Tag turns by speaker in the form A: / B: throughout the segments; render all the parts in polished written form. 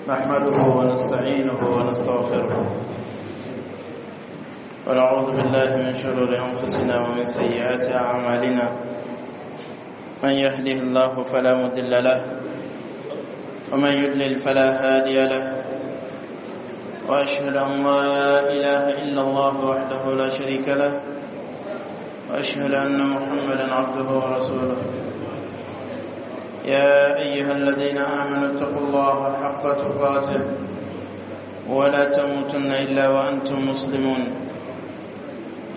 A: نحمده ونستعينه ونستغفره، ونعوذ بالله من شرور أنفسنا ومن سيئات أعمالنا. من يهده الله فلا مضل له، ومن يضلل فلا هادي له. وأشهد أن لا إله إلا الله وحده لا شريك له، وأشهد أن محمدا عبده ورسوله. يا أيها الذين آمنوا اتقوا الله حق تقاته ولا تموتن إلا وأنتم مسلمون.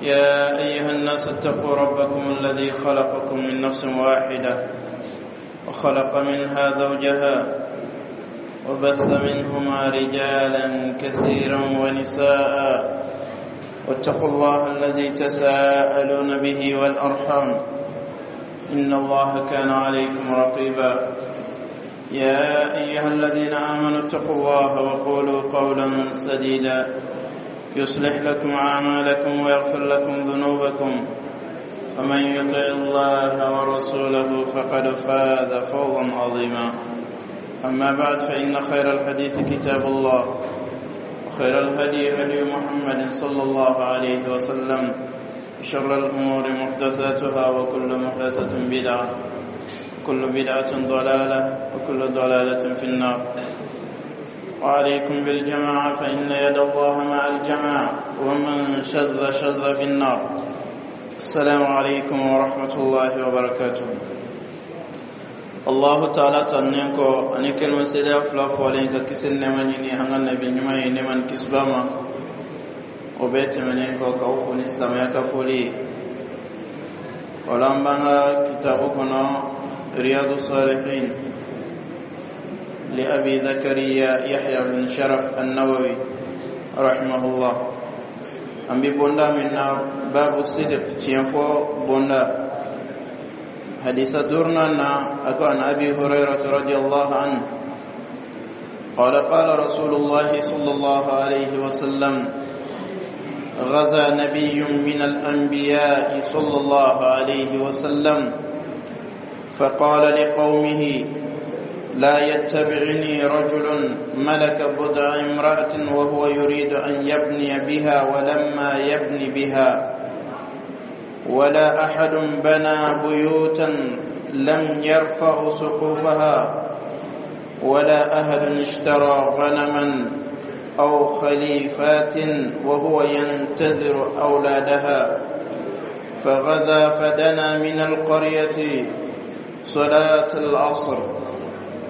A: يا أيها الناس اتقوا ربكم الذي خلقكم من نفس واحدة، وخلق منها زوجها، وبث منهما رجالا كثيرا ونساء. واتقوا الله الذي تساءلون به والأرحام، إن الله كان عليكم رقيبا. يا أيها الذين آمنوا اتقوا الله وقولوا قولا سديدا، يصلح لكم أعمالكم ويغفر لكم ذنوبكم. ومن يطع الله ورسوله فقد فاز فوزا عظيما. أما بعد، فإن خير الحديث كتاب الله، وخير الهدي هدي محمد صلى الله عليه وسلم، شر الأمور محدثاتها، وكل محدثة بدعة، وكل بدعة ضلالة، وكل ضلالة في النار. وعليكم بالجماعة، فإن يد الله مع الجماعة، ومن شذ شذ في النار. السلام عليكم ورحمة الله وبركاته. Allahu taala tannen kɔ ani kelima seereya fila fɔlen ka kisi nɛɛma ɲini an ka nabi ɲuman ye, nɛɛma ni kisiba ma, o bɛɛ tɛmɛnen kɔ, k'aw fo ni silamɛya ka foli ye. O la, an b'an ka kitabu kɔnɔ, Riyadu Salihin li Abi Zakariya Yahya bin Sharaf An-Nawawi rahimahullah. An bɛ bonda min na, babu sidiq, tiɲɛ fɔ bonda. Hadisa duurunan na, a ko: عن أبي هريرة رضي الله عنه قال: قال رسول الله صلى الله عليه وسلم: غزا نبي من الأنبياء صلى الله عليه وسلم، فقال لقومه: لا يتبعني رجل ملك بضع امرأة وهو يريد أن يبني بها ولما يبني بها، ولا أحد بنى بيوتا لم يرفع سقوفها، ولا أحد اشترى غنما أو خليفات وهو ينتظر أولادها. فغدا فدنا من القرية صلاة العصر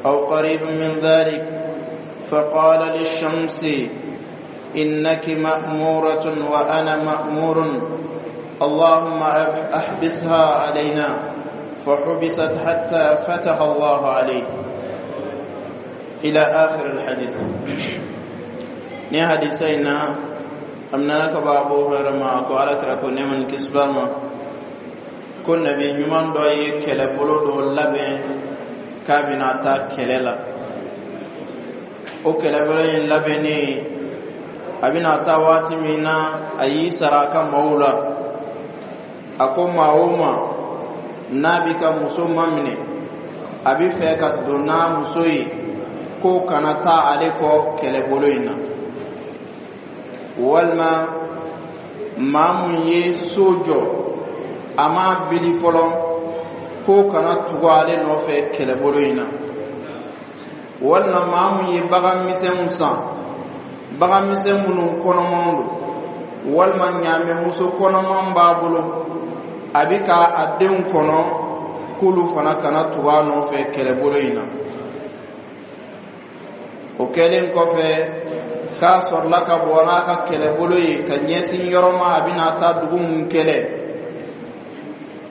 A: أو قريب من ذلك، فقال للشمس: إنك مأمورة وأنا مأمور، اللهم احبسها علينا. فحبست حتى فتح الله عليه. إلى آخر الحديث. Ni hadisa in na, a minɛna ka bɔ Abu Hurayra ma, ko Ala kira ko, nɛɛma ni kisi b'a ma, ko nabi ɲuman dɔ ye kɛlɛbolo dɔ labɛn k'a bɛna taa kɛlɛ la. O kɛlɛbolo in labɛnnen, a bɛna taa waati min na, a y'i sara a ka maaw la. A ko maa o maa n'a b'i ka muso maminɛ, a bɛ fɛ ka don n'a muso ye, k'o kana taa ale kɔ kɛlɛbolo in na. Walima maa mun ye so jɔ, a m'a bili fɔlɔ, k'o kana tugu ale nɔfɛ kɛlɛbolo in na. Walima maa mun ye bagan misɛnw san, bagan misɛn minnu kɔnɔmanw don, walima ɲaamɛmuso kɔnɔman b'a bolo, a bɛ ka a denw kɔnɔ, k'olu fana kana tugu a nɔfɛ kɛlɛbolo in na. O kɛlen kɔfɛ, k'a sɔrɔla ka bɔ n'a ka kɛlɛbolo ye ka ɲɛsin yɔrɔ ma, a bɛna taa dugu mun kɛlɛ.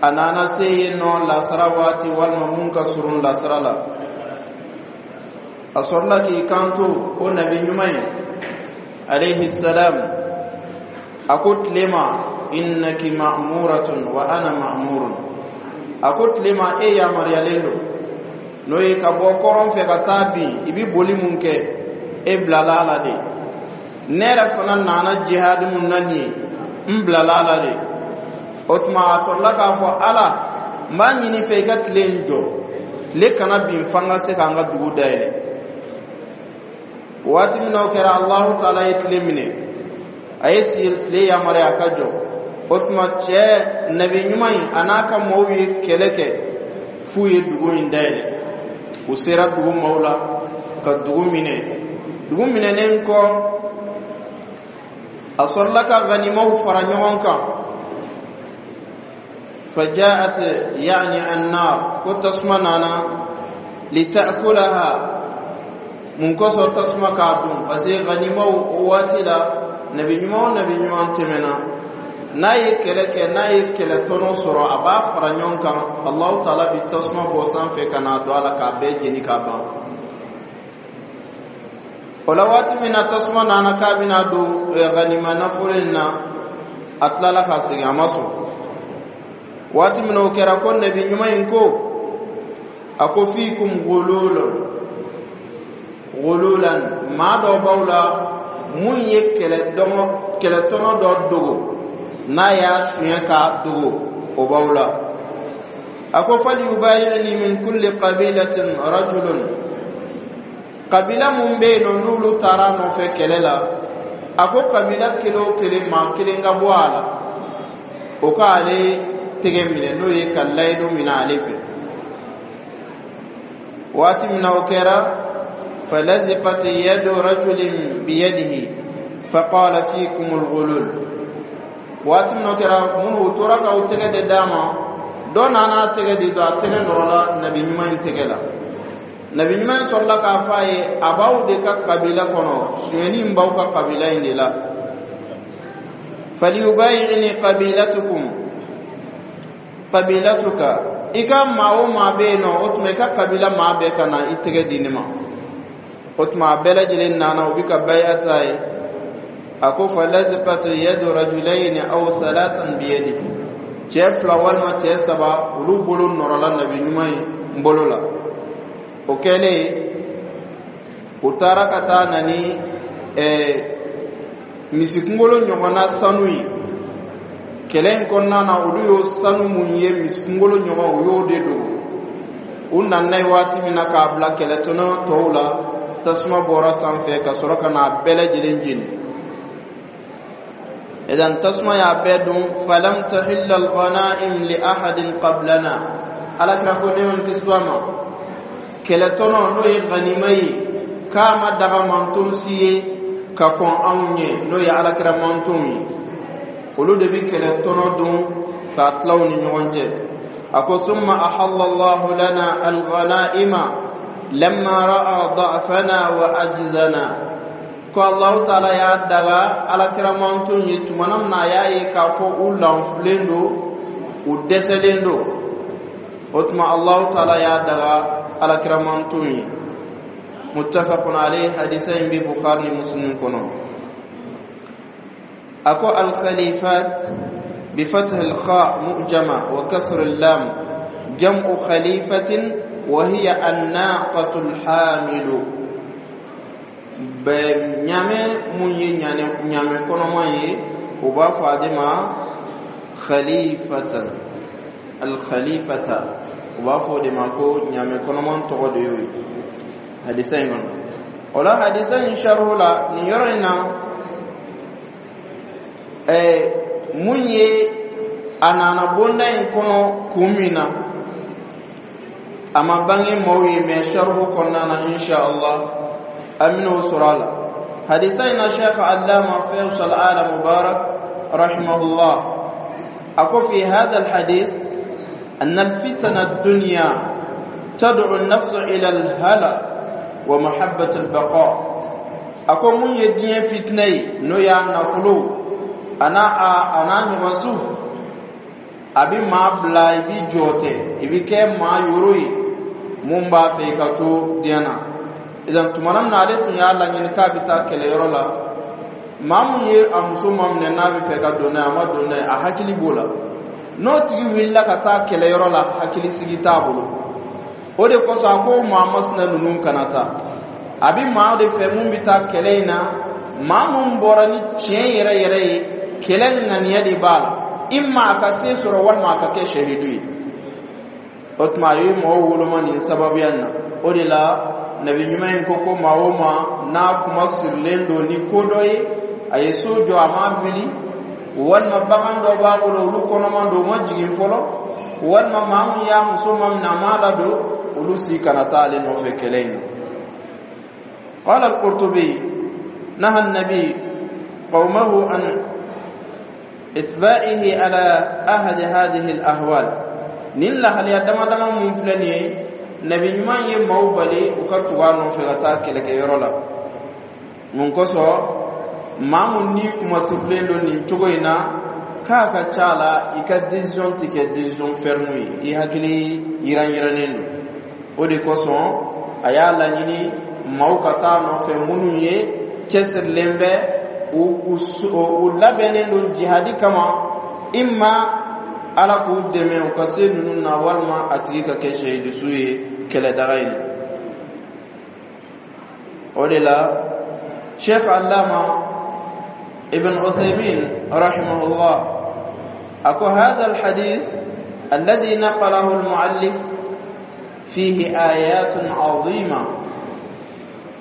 A: A nana se yen nɔ lasara waati, walima mun ka surun lasara la. A sɔrɔla k'i kanto o nabi ɲuman ye alayhi salam, a ko tile ma: innaki ma'muratun wa ana ma'murun. A ko tile ma: e yamaruyalen don, n'o ye ka bɔ kɔrɔn fɛ ka taa bin, i bi boli mun kɛ, e bilala a la de. Ne yɛrɛ fana nana jihadi mun na nin ye, n bilala a la de. O tuma, a sɔrɔla k'a fɔ: Ala, n b'a ɲini fɛ i ka tile in jɔ, tile kana bin f'an ka se k'an ka dugu dayɛlɛ. Waati min na o kɛra, Alahu Taala ye tile minɛ, a ye tile yamaruya a ka jɔ. O tuma, cɛ nabi ɲuman in a n'a ka mɔgɔw ye kɛlɛ kɛ f'u ye dugu in dayɛlɛ. U sera dugu maaw la ka dugu minɛ. Dugu minɛnen kɔ, a sɔrɔla ka ganimaw fara ɲɔgɔn kan. فجاءت يعني النار, ko tasuma nana, لتأكلها. Mun kosɔn tasuma k'a dun? Parce que ganimaw, o waati la, nabi ɲuman o nabi ɲuman tɛmɛna, n'a ye kɛlɛ kɛ, n'a ye kɛlɛ tɔnɔ sɔrɔ, a b'a fara ɲɔgɔn kan. Alahu Taala bi tasuma bɔ sanfɛ ka n'a don a la k'a bɛɛ jeni k'a ban. O la, waati min na tasuma nana k'a bɛna don ganima nafolo in na, a tilala ka segin, a ma sɔn. Waati min na o kɛra, ko nabi ɲuman in ko, a ko: فيكم غلول غلولا, maa dɔ b'aw la mun ye kɛlɛtɔnɔ dɔ dogo, n'a y'a suɲɛ k'a dogo, o b'aw la. A ko: فليبايعني من كل قبيلة رجل. Kabila mun bɛ yen nɔ, n'olu taara a nɔfɛ kɛlɛ la, a ko kabila kelen o kelen, maa kelen ka bɔ a la, o k'ale tɛgɛ minɛ, n'o ye ka layidu minɛ ale fɛ. Waati min na o kɛra, فلزقت يد رجل بيده فقال فيكم الغلول. Waati min na o kɛra, minnu u tora ka u tɛgɛ de d'a ma, dɔ nana tɛgɛ di dɔ, a tɛgɛ nɔrɔla nabi ɲuman in tɛgɛ la. Nabi ɲuman in sɔrɔla k'a fɔ a ye: a b'aw de ka kabila kɔnɔ, sonyɛni in b'aw ka kabila in de la. فليبايعني قبيلتكم قبيلتك, i ka maa o maa bɛ yen nɔ, o tuma i ka kabila maa bɛɛ ka na i tɛgɛ di ne ma. O tuma, a bɛɛ lajɛlen nana, u bɛ ka baya ta ye. A ko: فلزقت يد رجلين أو ثلاثا بيدي. Cɛ fila walima cɛ saba, olu bolo nɔrɔla nabi ɲuman ye n bolo la. O kɛlen, u taara ka taa na ni misikunkolo ɲɔgɔnna sanu ye. Kɛlɛ in kɔnɔna na, olu y'o sanu mun ye, misikunkolo ɲɔgɔn, u y'o de dogo. U nana ye waati min na k'a bila kɛlɛtɔnɔ tɔw la, tasuma bɔra sanfɛ ka sɔrɔ ka n'a bɛɛ lajɛlen jeni. Idan tasuma y'a bɛɛ dun. فلم تحل الغنائم لأحد قبلنا. Alakira ko, ne man kisi ma, kɛlɛtɔnɔ, n'o ye ganima ye, k'a ma daga manton si ye ka kɔn anw ɲɛ, n'o ye alakira mantonw ye. Olu de bi kɛlɛtɔnɔ dun k'a tila u ni ɲɔgɔn cɛ. A ko: ثم أحل الله لنا الغنائم لما رأى ضعفنا وعجزنا. Ko Allahu Taala y'a daga alakira manton ye tumana min na a y'a ye k'a fɔ u lanfulen don, u dɛsɛlen don. O tuma, Allahu Taala y'a daga alakira manton ye. متفق عليه. Hadisa in bɛ Bukhari ni Muslim kɔnɔ. A ko: الخليفات بفتح الخاء معجمة وكسر اللام، جمع خليفة، وهي الناقة الحامل. Bɛ ɲaamɛ mun ye ɲaamɛ kɔnɔma ye, u b'a fɔ a de ma خليفة. الخليفة, u b'a fɔ o de ma ko ɲaamɛ kɔnɔman tɔgɔ de y'o ye hadisa in kɔnɔ. O la, hadisa in sarihu la nin yɔrɔ in na, mun ye a nana bonda in kɔnɔ kun min na, a ma bange maaw ye, mɛ sarihu kɔnɔna na, insha Allah, an bɛn'o sɔrɔ a la. Hadisa in na, Sheikh Allama Faisal Ala Mubarak رحمه الله, a ko: في هذا الحديث أن الفتن الدنيا تدعو النفس إلى الهلع ومحبة البقاء. A ko mun ye diɲɛ fitinɛ ye, n'o y'a nafolo a n'a a n'a ɲɔgɔnsu, a bɛ maa bila i b'i jɔ tɛ, i bɛ kɛ maa yoro ye mun b'a fɛ i ka to diɲɛ na. Idan tumana min na ale tun y'a laɲini k'a bɛ taa kɛlɛyɔrɔ la, maa mun ye a muso ma minɛ, n'a bɛ fɛ ka don n'a ye, a ma don n'a ye, a hakili b'o la. N'o tigi wulila ka taa kɛlɛyɔrɔ la, hakili sigi t'a bolo. O de kosɔn, a ko maa masina ninnu kana taa. A bɛ maa de fɛ mun bɛ taa kɛlɛ in na, maa mun bɔra ni tiɲɛ yɛrɛ yɛrɛ ye, kɛlɛ ŋaniya de b'a la, imma a ka se sɔrɔ walima a ka kɛ shahidu ye. O tuma, a ye mɔgɔw woloma nin sababuya in na. O de la Nabi ɲuman in ko ko maa o maa n'a kuma sirilen don ni ko dɔ ye, a ye so jɔ, a m'a bili, walima bagan dɔ b'a bolo, olu kɔnɔman don, u ma jigin fɔlɔ, walima maa min y'a muso ma minɛ, a m'a ladon, olu si kana taa ale nɔfɛ kɛlɛ in na. قال القرطبي: نهى النبي قومه عن اتباعه على أحد هذه الأحوال. Nin lahalaya dama dama mun filɛ nin ye, Nabi ɲuman ye maaw bali u ka tugu a nɔfɛ ka taa kɛlɛkɛyɔrɔ la. Mun kosɔn? Maa mun n'i kumasirilen don nin cogo in na, k'a ka ca la, i ka décision tɛ kɛ décision ferme ye, i hakili yiran yirannen don. O de kosɔn a y'a laɲini maaw ka taa nɔfɛ minnu ye cɛsirilen bɛ, u labɛnnen don jihadi kama, imma Ala k'u dɛmɛ u ka se ninnu na, walima a tigi ka kɛ sehidisu ye kɛlɛdaga in na. O de la, Sheikh Allama Ibn Uthaymin rahimahullah ako: هذا الحديث الذي نقله المؤلف فيه آيات عظيمة.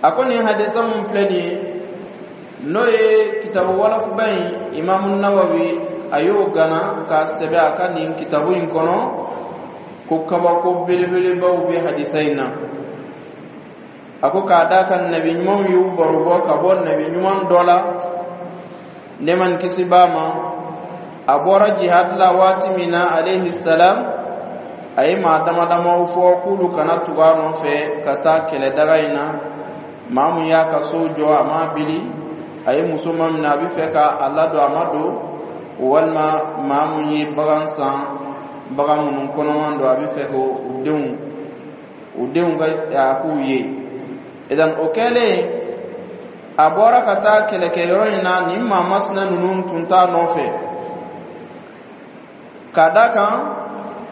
A: Ako nin hadisa mun filɛ nin ye, n'o ye kitabu walafuba in, Imamu Nawawi a y'o gana k'a sɛbɛ a ka nin kitabu in kɔnɔ, ko kabako belebelebaw bɛ hadisa in na. A ko k'a da kan, nabi ɲumanw y'u baro bɔ ka bɔ nabi ɲuman dɔ la, nɛɛma ni kisi b'a ma. A bɔra jihad la waati min na, alayhi salam, a ye maa dama damaw fɔ k'olu kana tugu a nɔfɛ ka taa kɛlɛdaga in na: maa mun y'a ka so jɔ, a m'a bili, a ye muso ma minɛ, a bɛ fɛ ka a ladon, a ma don, walima maa mun ye bagan san, bagan minnu kɔnɔman don, a bɛ fɛ k'o u denw ka a k'u ye. Idan o kɛlen, a bɔra ka taa kɛlɛkɛyɔrɔ in na, nin maa masina ninnu tun t'a nɔfɛ, k'a da kan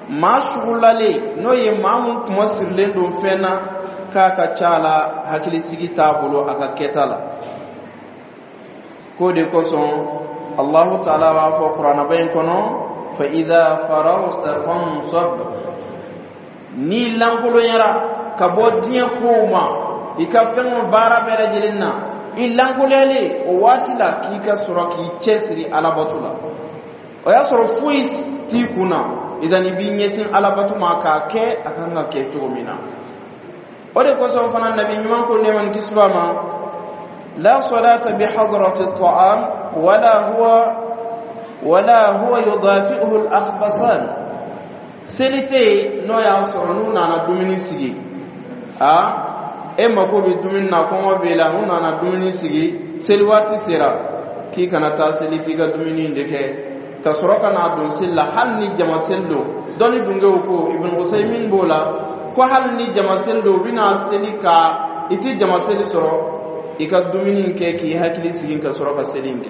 A: maa sugulalen, n'o ye maa mun kuma sirilen don fɛn na, k'a ka ca la, hakilisigi t'a bolo a ka kɛta la. K'o de kosɔn Allahu taala b'a fɔ Kuranaba in kɔnɔ: fa idha faragta fansab. N'i lankolonyara ka bɔ diɲɛ kow ma, i ka fɛnw baara bɛɛ lajɛlen na, i lankolonyalen o waati la, k'i ka sɔrɔ k'i cɛsiri alabato la. O y'a sɔrɔ foyi t'i kun na, idan i b'i ɲɛsin alabato ma k'a kɛ a kan ka kɛ cogo min na. O de kosɔn fana, Nabi ɲuman ko, nɛɛma ni kisi b'a ma: لا صلاة بحضرة الطعام ولا هو يدافئه الأخبثان. Seli tɛ yen n'o y'a sɔrɔ n'u nana dumuni sigi, a e mako bɛ dumuni na, kɔngɔ b'e la, n'u nana dumuni sigi, seli waati sera, k'i kana taa seli f'i ka dumuni de kɛ ka sɔrɔ ka n'a don seli la, hali ni jama seli don. Dɔnni dunkew ko, Ibn Usaymin b'o la, ko hali ni jama seli don, u bɛna seli ka i ti jama seli sɔrɔ, i ka dumuni kɛ k'i hakili sigi ka sɔrɔ ka seli in kɛ,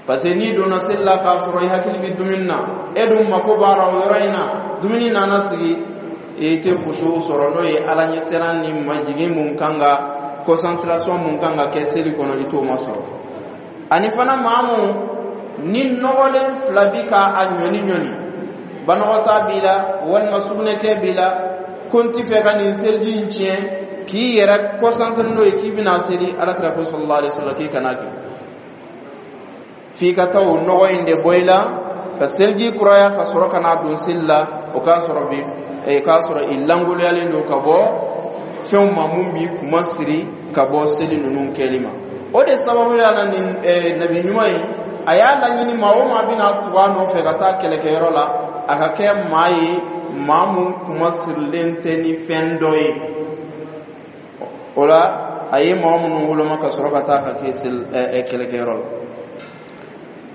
A: parce que n'i donna seli la k'a sɔrɔ i hakili bɛ dumuni na, e dun mako b'a la o yɔrɔ in na, dumuni nana sigi, i tɛ fusu sɔrɔ, n'o ye Ala ɲɛsiran ni majigin mun kan ka, concentration mun kan ka kɛ seli kɔnɔ, i t'o ma sɔrɔ. Ani fana, maa mun ni nɔgɔlen fila bi ka a ɲɔni ɲɔni, banɔgɔta b'i la walima sugunɛkɛ b'i la, ko n ti fɛ ka nin seliji in tiɲɛ, k'i yɛrɛ concentré n'o ye k'i bɛna seli, Alakira ko sallallahu alaihi wasallam k'i kana kɛ, f'i ka taa o nɔgɔ in de bɔ i la ka seliji kuraya ka sɔrɔ ka n'a don seli la. O k'a sɔrɔ bi k'a sɔrɔ i lankoloyalen don ka bɔ fɛnw ma mun b'i kuma siri ka bɔ seli ninnu kɛli ma. O de sababu ya na, nin nabi ɲuman in, a y'a laɲini maa o maa bɛna tugu a nɔfɛ ka taa kɛlɛkɛyɔrɔ la, a ka kɛ maa ye, maa mun kuma sirilen tɛ ni fɛn dɔ ye. O la, a ye maa minnu woloma ka sɔrɔ ka taa ka kɛ kɛlɛkɛyɔrɔ la.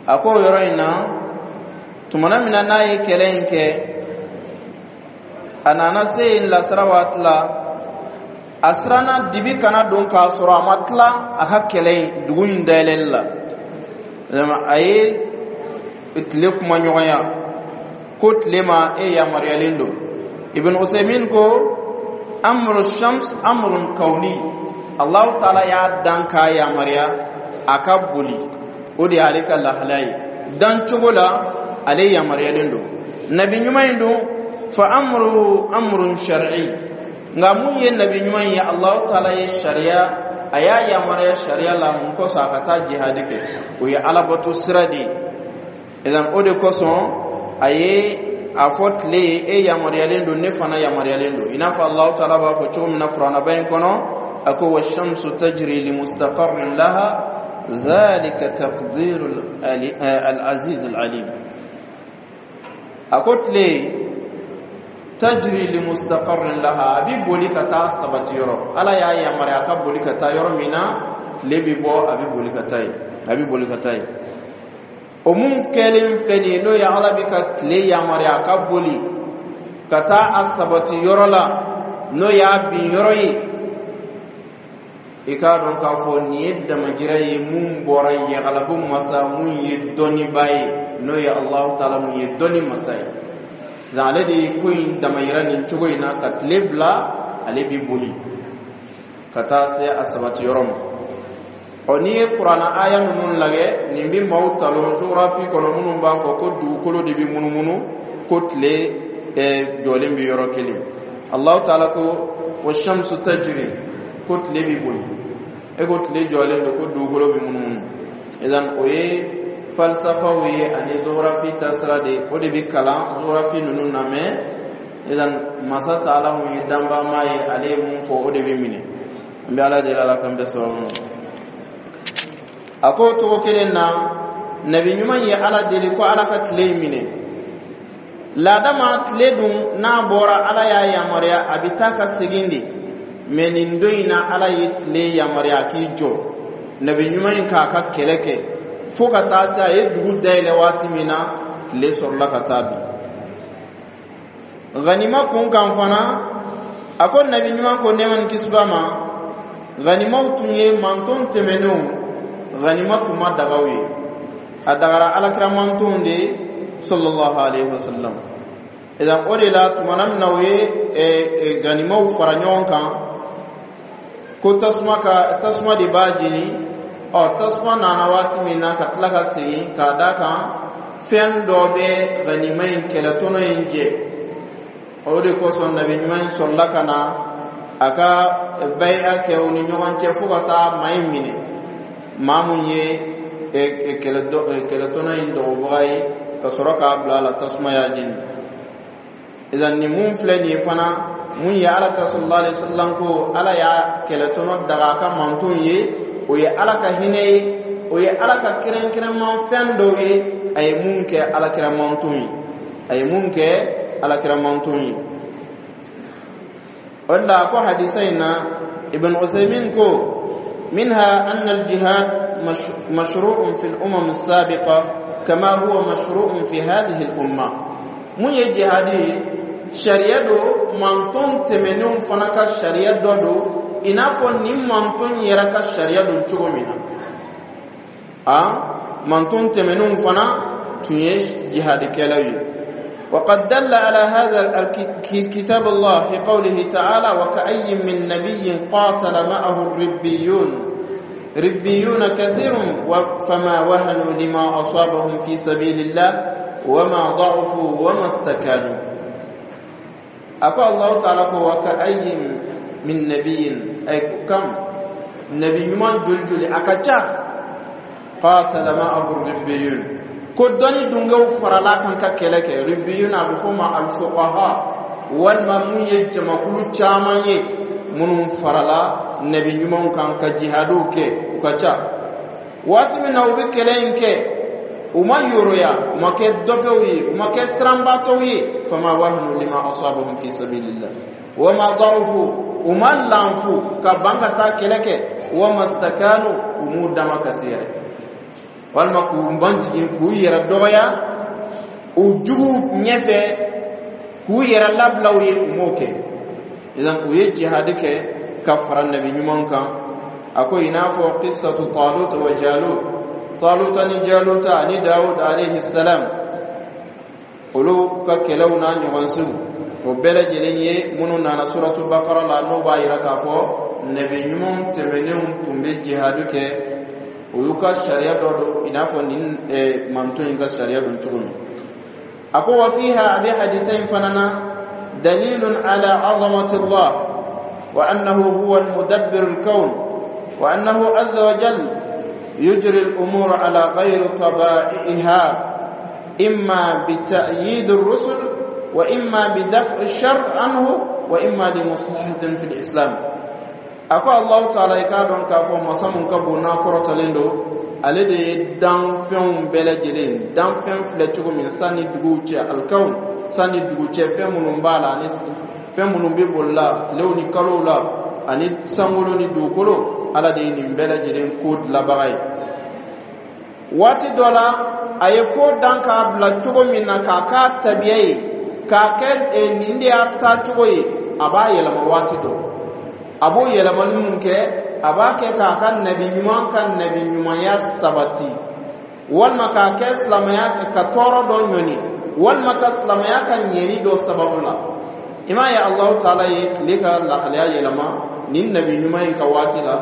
A: A ko o yɔrɔ in na, tumana min na n'a ye kɛlɛ in kɛ, a nana se yen lasara waati la, a siranna dibi kana don k'a sɔrɔ a ma tila a ka kɛlɛ in, dugu in dayɛlɛli la. A ye tile kuma ɲɔgɔnya ko tile ma e yamaruyalen don. Ibn Usaymin ko: amru shams amrun kauni. Allahu taala y'a dan k'a yamaruya a ka boli, o de y'ale ka lahalaya ye dan cogo la, ale yamaruyalen don. Nabi ɲuman in don, fa amruhu amrun shar'i. Nka mun ye nabi ɲuman ye, Alahu Taala ye sariya, a y'a yamaruya sariya la. Mun kosɔn a ka taa jihadi kɛ? O ye alabato sira de ye. Idan o de kosɔn a ye a fɔ tile ye: e yamaruyalen don, ne fana yamaruyalen don. I n'a fɔ Alahu Taala b'a fɔ cogo min na kuranaba in kɔnɔ, a ko: wa shamsu tajri li mustaqarrin laha dhalika taqdiru al-aziz al-alim. A ko tile tajri li mustaqarrin laha, a bi boli ka taa sabati yɔrɔ. Ala y'a yamaruya a ka boli ka taa yɔrɔ min na, tile bi bɔ, a bi boli ka taa yen, a bi boli ka taa yen. O mun kɛlen filɛ nin ye, n'o ye Ala bi ka tile yamaruya a ka boli ka taa a sabati yɔrɔ la, n'o y'a bin yɔrɔ ye, i k'a dɔn k'a fɔ nin ye damajira ye mun bɔra yagalabu masa mun ye dɔnnibaa ye, n'o ye Alahu Taala mun ye dɔnni masa ye. Ale de ye ko in damayira nin cogo in na, ka tile bila ale bi boli ka taa se a sabati yɔrɔ ma. Ɔ, n'i ye kuranna aya ninnu lajɛ, nin bi maaw talon géographie kɔnɔ minnu b'a fɔ ko dugukolo de bi munumunu, ko tile jɔlen bi yɔrɔ kelen. Alahu Taala ko wa shamsu tajri, ko tile bi boli. E ko tile jɔlen don, ko dugukolo bi munumunu. Idan o ye falsafaw ye ani géographie taasira de, o de bi kalan géographie ninnu na. Mɛ idan masa Taala mun ye danbama ye, ale ye mun fɔ, o de bi minɛ. An bɛ Ala deli, Ala k'an bɛɛ sɔrɔ. A ko cogo kelen na, nabi ɲuman ye Ala deli ko Ala ka tile in minɛ. Laadama tile dun n'a bɔra, Ala y'a yamaruya a bɛ taa ka segin de. Mɛ nin don in na, Ala ye tile yamaruya k'i jɔ, nabi ɲuman in k'a ka kɛlɛ kɛ fo ka taa se a ye dugu dayɛlɛ waati min na, tile sɔrɔla ka taa bin. Ganima kun kan fana, a ko nabi ɲuman ko, nɛɛma ni kisi b'a ma, ganimaw tun ye manton tɛmɛnenw, ganima tun ma dagaw ye, a dagara alakira mantonw de sallallahu alaihi wasallam. Idan o de la, tumana min na u ye ganimaw fara ɲɔgɔn kan, ko tasuma ka tasuma de b'a jeni, ɔ, tasuma nana waati min na ka tila ka segin k'a da kan, fɛn dɔ bɛ ganima in kɛlɛtɔnɔ in jɛ. O de kosɔn nabi ɲuman in sɔrɔla ka na a ka bayi'a kɛ u ni ɲɔgɔn cɛ fo ka taa maa in minɛ, maa mun ye kɛlɛtɔnɔ in dɔgɔbaga ye, ka sɔrɔ k'a bila a la, tasuma y'a jeni. Idan nin mun filɛ nin ye fana, mun ye ala ka sallallahu alaihi wasallam ko Ala y'a kɛlɛtɔnɔ daga a ka manton ye, o ye Ala ka hinɛ ye, o ye Ala ka kɛrɛnkɛrɛnman fɛn dɔw ye, a ye mun kɛ alakira manton ye, a ye mun kɛ alakira manton ye. O de la, a ko hadisa in na, Ibn Uthaymin ko: منها أن الجهاد مشروع في الأمم السابقة كما هو مشروع في هذه الأمة. Mun ye jihadi ye, sariya don, manton tɛmɛnenw fana ka sariya dɔ don, i n'a fɔ nin manton yɛrɛ ka sariya don cogo min na. A manton tɛmɛnenw fana tun ye jihadikɛlaw ye. وقد دل على هذا كتاب الله في قوله تعالى: وكأي من نبي قاتل معه الربيون كثير فما وهنوا لما أصابهم في سبيل الله وما ضعفوا وما استكانوا. أقول الله تعالى: وكأي من نبي، أي كم نبي ɲuman joli joli a ka ca, قاتل معه الربيون، ko dɔnni dungew farala kan ka kɛlɛ kɛ. Ribbiyun, a bɛ fɔ ma alfuqaha, walima mun ye jamakulu caman ye minnu farala nabi ɲumanw kan ka jihadiw kɛ, u ka ca. Waati min na u bɛ kɛlɛ in kɛ, u ma yoroya, u ma kɛ dɔfɛw ye, u ma kɛ siranbaatɔw ye. Fama wahanu lima asabahum fi sabilillah wama da'ufu, u ma lanfu ka ban ka taa kɛlɛ kɛ, wama stakanu, u m'u dama kasi yɛrɛ, walima k'u ban jigin k'u yɛrɛ dɔgɔya u jugu ɲɛfɛ, k'u yɛrɛ labila u ye, u m'o kɛ. Idan u ye jihadi kɛ ka fara nabi ɲuman kan. A ko i n'a fɔ qissatu Talut wa Jalut, Taluta ni Jaluta ani Dawud alayhi salam, olu ka kɛlɛw n'a ɲɔgɔnsiw, o bɛɛ lajɛlen ye minnu nana suratu Bakara la, n'o b'a yira k'a fɔ nabi ɲumanw tɛmɛnenw tun bɛ jihadi kɛ, o y'u ka sariya dɔ don, i n'a fɔ nin manton in ka sariya don cogo min. A ko wa fiha, a bɛ hadisa in fana na, dalilun ala azamati Allah. وأنه هو المدبر الكون، وأنه عز وجل يجري الأمور على غير طبائعها، إما بتأييد الرسل وإما بدفع الشر عنه وإما لمصلحة في الإسلام. A ko Allahu Taala, i k'a dɔn k'a fɔ masa mun ka bon n'a kɔrɔtalen don, ale de ye danfɛnw bɛɛ lajɛlen danfɛn filɛ cogo min, san ni duguw cɛ, alikawun, san ni dugu cɛ, fɛn minnu b'a la ani fɛn minnu bɛ boli la, tilew ni kalow la, ani sankolo ni dugukolo, Ala de ye nin bɛɛ lajɛlen ko dilanbaga ye. Waati dɔ la, a ye ko dan k'a bila cogo min na, k'a k'a tabiya ye, k'a kɛ nin de y'a taacogo ye, a b'a yɛlɛma waati dɔ. A b'o yɛlɛmali mun kɛ? A b'a kɛ k'a ka nabi ɲuman ka nabi ɲumanya sabati, walima k'a kɛ silamɛya ka tɔɔrɔ dɔ ɲɔni, walima ka silamɛya ka ɲɛni dɔ sababu la. I m'a ye, Alahu Taala ye tile ka lahalaya yɛlɛma nin nabi ɲuman in ka waati la.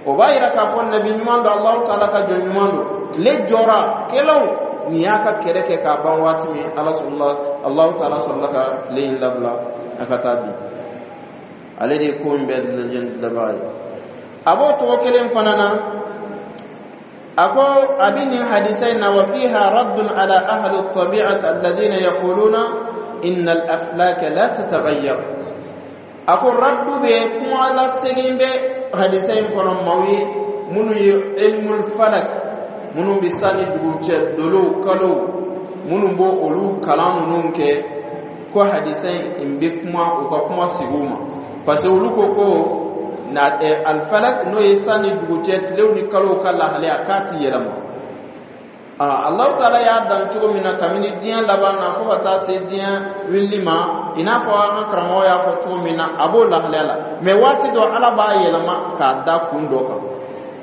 A: O b'a yira k'a fɔ nabi ɲuman don, Alahu Taala ka jɔn ɲuman don. Tile jɔra kɛlɛw nin y'a ka kɛlɛ kɛ k'a ban waati min, Ala sɔrɔla, Alahu Taala sɔrɔla ka tile in labila a ka taa bin. Ale de ye ko in bɛɛ lajɛlen dilanbaga ye. A b'o cogo kelen fana na. A ko a bɛ nin hadisa in na: wa fiha raddun ala ahli tabi'ati alladhina yaquluna inna al-aflaka la tataghayyar. A ko raddu bɛ, kuma lasegin bɛ hadisa in kɔnɔ maaw ye minnu ye ilmul falak, minnu bɛ san ni dugu cɛ dolow, kalow, minnu b'o olu kalan ninnu kɛ, ko hadisa in bɛ kuma u ka kuma sigi u ma, parce que olu ko na alfalak, n'o ye san ni dugu cɛ, tilew ni kalow ka lahalaya, k'a ti yɛlɛma. Alahu Taala y'a dan cogo min na kabini diɲɛ laban na fo ka taa se diɲɛ wulili ma, i n'a fɔ an ka karamɔgɔ y'a fɔ cogo min na, a b'o lahalaya la. Mɛ waati dɔ, Ala b'a yɛlɛma k'a da kun dɔ kan,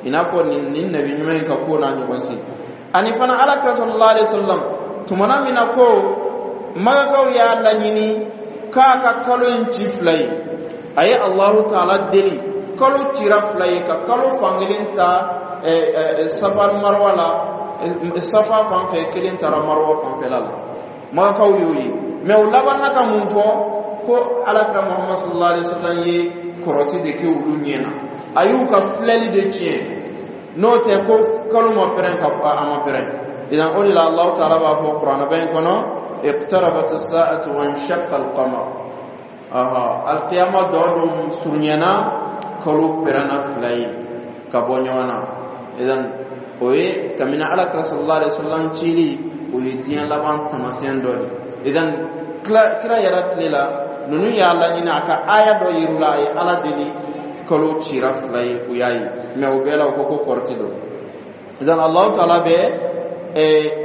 A: i n'a fɔ nin nabi ɲuman in ka ko n'a ɲɔgɔn si. Ani fana, Ala kira sallallahu alaihi wasallam, tumana min na ko Magakaw y'a laɲini k'a ka kalo in ci fila ye, a ye Alahu Taala deli, kalo cira fila ye, ka kalo fankelen ta Safa Marwa la, Safa fan fɛ, kelen taara Marwa fanfɛla la. Magakaw y'o ye, mɛ u labanna ka mun fɔ? Ko Alakira Muhammad sallallahu alaihi wasallam ye kɔrɔti de kɛ olu ɲɛ na, a y'u ka filɛli de tiɲɛ, n'o tɛ ko kalo ma pɛrɛn ka a ma pɛrɛn. Idan o de la, Alahu Taala b'a fɔ kuranɛba in kɔnɔ: iqtarabat as-sa'atu wa inshaqqa al-qamar. Aha, alqiyama dɔ don surunyana, kalo pɛrɛnna fila ye ka bɔ ɲɔgɔn na. Idan o ye kabini Ala kira sallallahu alaihi wasallam cili, o ye diɲɛ laban taamasiyɛn dɔ de. Idan kira yɛrɛ tile la, ninnu y'a laɲini a ka aya dɔ yir'u la, a ye Ala deli, kalo cira fila ye, u y'a ye. Mɛ o bɛɛ la, u ko ko kɔrɔti don. Idan Alahu Taala bɛ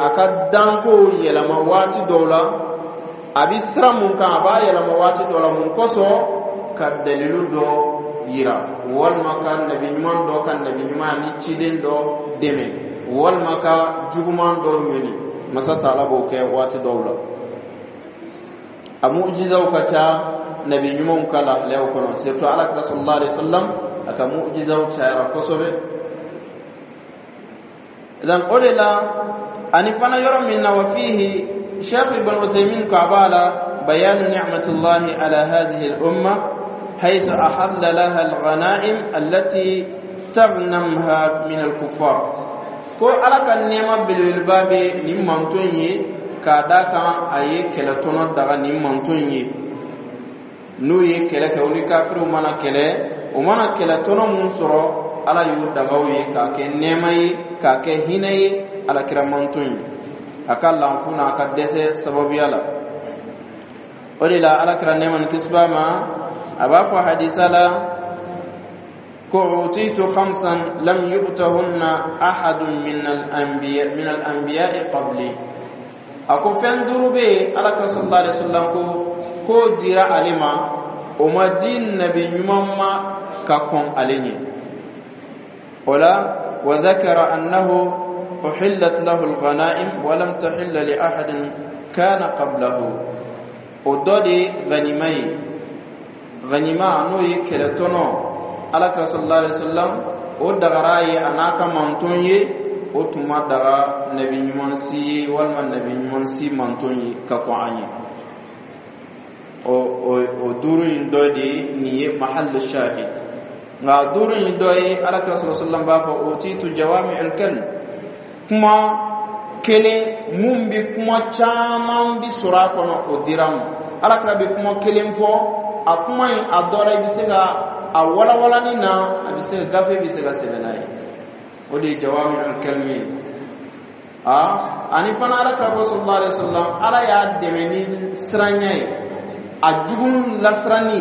A: a ka danko yɛlɛma waati dɔw la. A bɛ sira mun kan, a b'a yɛlɛma waati dɔ la. Mun kosɔn? Ka dalilu dɔ yira, walima ka nabi ɲuman dɔ ka nabi ɲuman ni ciden dɔ dɛmɛ, walima ka juguman dɔ ɲɔni. Masa Taala b'o kɛ waati dɔw la. A mujizaw ka ca nabi ɲumanw ka lahalayaw kɔnɔ, surtout Ala kira sallallahu alaihi wasallam, a ka mujizaw cayara kosɛbɛ. Idan o de la, ani fana yɔrɔ min na, wa fihi, Cheikh Ibn Uthaymin ko a b'a la: bayanu ni'matullahi ala hadhihi al-umma haythu ahalla laha al-ghanaim allati taghnamha min al-kuffar. Ko Ala ka nɛɛma belebeleba bɛ nin manton ye, k'a da kan a ye kɛlɛtɔnɔ daga nin manton ye. N'u ye kɛlɛ kɛ, u ni kafiriw mana kɛlɛ, o mana kɛlɛtɔnɔ mun sɔrɔ, Ala y'o dagaw ye k'a kɛ nɛɛma ye, k'a kɛ hinɛ ye Alakira manton ye, a ka lanfu n'a ka dɛsɛ sababuya la. O de la, Alakira, nɛɛma ni kisi b'a ma, a b'a fɔ hadisa la ko: utitu khamsan lam yu'tahunna ahadun min al-anbiya'i qabli. A ko fɛn duuru bɛ yen, Alakira sallallahu alaihi wasallam ko k'o dira ale ma, o ma di nabi ɲuman ma ka kɔn ale ɲɛ. O la, wa dhakara annahu uhillat lahu al-ghanaim wa lam tahilla li ahadin kana qablahu. O dɔ de ye ganima ye. Ganima, n'o ye kɛlɛtɔnɔ, Alakira sallallahu alaihi wasallam, o dagara ye a n'a ka manton ye. O tun ma daga nabi ɲuman si ye walima nabi ɲuman si manton ye ka kɔn an ye. O duuru in dɔ de ye nin ye, mahallu shahid. Nka duuru in dɔ ye, Alakira sɔrɔ sallam b'a fɔ: utitu jawami'ul kalim, kuma kelen mun bi kuma caman bi sɔrɔ a kɔnɔ, o dira n ma. Alakira bɛ kuma kelen fɔ, a kuma in, a dɔ la, i bɛ se ka a walawalani na, a bɛ se ka gafe bɛ se ka sɛbɛn n'a ye. O de ye jawami'ul kalimi ye. A ani fana, Alakira ko sallallahu alaihi wasallam, Ala y'a dɛmɛ ni siranya ye, a jugu lasiranni.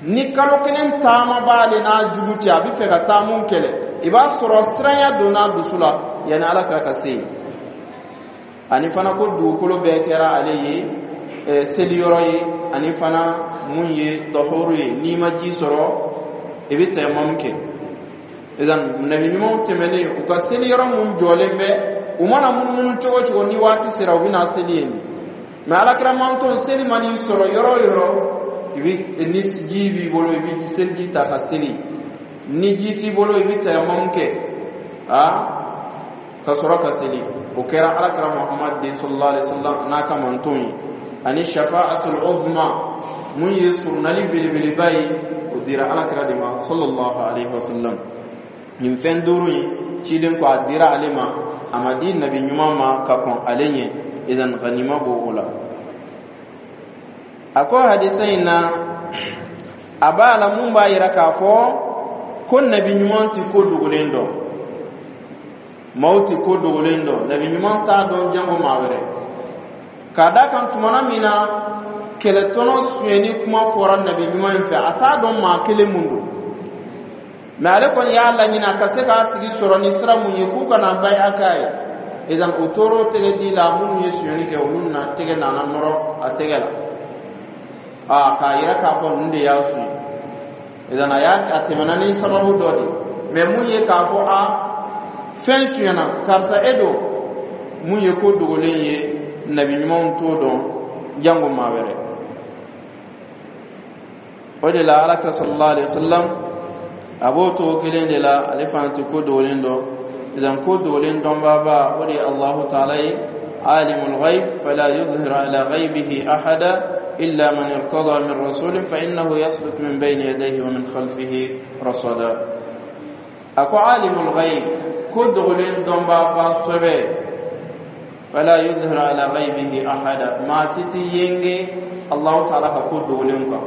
A: Ni kalo kelen taama b'ale n'a jugu cɛ, a bɛ fɛ ka taa mun kɛlɛ, i b'a sɔrɔ siranya donna a dusu la yanni Alakira ka se yen. Ani fana, ko dugukolo bɛɛ kɛra ale ye seliyɔrɔ ye. Ani fana, mun ye tɔhoro ye, n'i ma ji sɔrɔ, i bɛ tayamamu kɛ. Idan nabi ɲumanw tɛmɛnen, u ka seliyɔrɔ mun jɔlen bɛ, u mana munumunu cogo o cogo, ni waati sera, u bɛ na seli yen. Mɛ Alakira manton, seli man'i sɔrɔ yɔrɔ o yɔrɔ, i bɛ, ni ji b'i bolo, i bɛ seliji ta ka seli. Ni ji t'i bolo, i bɛ tayamamu kɛ a ka sɔrɔ ka seli. O kɛra Alakira Muhammad den sallallahu alaihi wasallam n'a ka manton ye. Ani shafa'atul uzma, mun ye surunali belebeleba ye, o dira Alakira de ma sallallahu alaihi wasallam. Nin fɛn duuru in, ciden ko a dira ale ma, a ma di nabi ɲuman ma ka kɔn ale ɲɛ. Idan ganima b'o o la. A ko hadisa in na, a b'a la mun b'a yira k'a fɔ ko nabi ɲuman ti ko dogolen dɔn, maaw ti ko dogolen dɔn. Nabi ɲuman t'a dɔn, jango maa wɛrɛ. K'a da kan, tumana min na kɛlɛtɔnɔ sonyɛni kuma fɔra nabi ɲuman in fɛ, a t'a dɔn maa kelen mun don, mɛ ale kɔni y'a laɲini a ka se k'a tigi sɔrɔ ni sira mun ye k'u kana baya k'a ye. Idan o tor'o tɛgɛ di la, minnu ye sonyɛni kɛ, olu na tɛgɛ nana nɔrɔ a tɛgɛ la, a k'a yira k'a fɔ ninnu de y'a suɲɛ. Idan a y'a a tɛmɛna ni sababu dɔ de. Mɛ mun ye k'a fɔ a fɛn sonyɛna, karisa e don, mun ye ko dogolen ye, nabi ɲumanw t'o dɔn, jango maa wɛrɛ. O de la, Alakira sallallahu alaihi wasallam, a b'o cogo kelen de la, ale fana tɛ ko dogolen dɔn. Idan ko dogolen dɔnbaaba, o de ye Allahu taala ye, alimul ghaib fala yuzhiru ala ghaibihi ahada illa man irtada min rasulin fa innahu yasluk min bayni yadayhi wa min khalfihi rasada. A ko alimul ghaib, ko dogolen dɔnbaaba sɛbɛ, fala yuzhiru ala ghaibihi ahada, maa si ti yenge Allahu taala ka ko dogolen kan.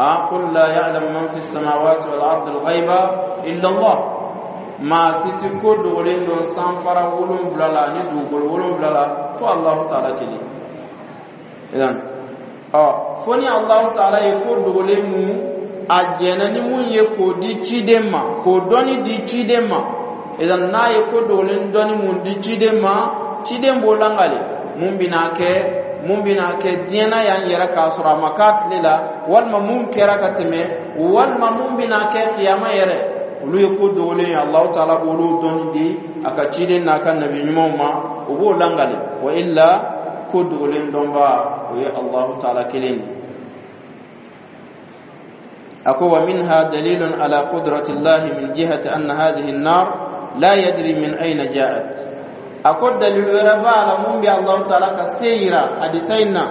A: قل لا يعلم من في السماوات والأرض الغيب إلا الله. Maa si ti ko dogolen dɔn sanfara 7 la ani dugukolo 7 la fo Allahu taala kelen. Idan ɔ fo ni Allahu taala ye ko dogolen mun a jɛnna ni mun ye k'o di ciden ma, k'o dɔnni di ciden ma. Idan n'a ye ko dogolen dɔnni mun di ciden ma, ciden b'o langale mun bɛna kɛ, mun bɛna kɛ diɲɛ na yan yɛrɛ k'a sɔrɔ a ma k'a tile la, walima mun kɛra ka tɛmɛ, walima mun bɛna kɛ kiyama yɛrɛ, olu ye ko dogolen ye. Alahu taala b'olu dɔnni di a ka ciden n'a ka nabi ɲumanw ma, o b'o langale. Wa illa, ko dogolen dɔnba, o ye Alahu taala kelen ye. A ko wa minha dalilun ala qudrati llahi min jihati anna hadhihi an-nar la yadri min ayna ja'at. A ko dalilu wɛrɛ b'a la mun bɛ Alahu taala ka se yira hadisa in na.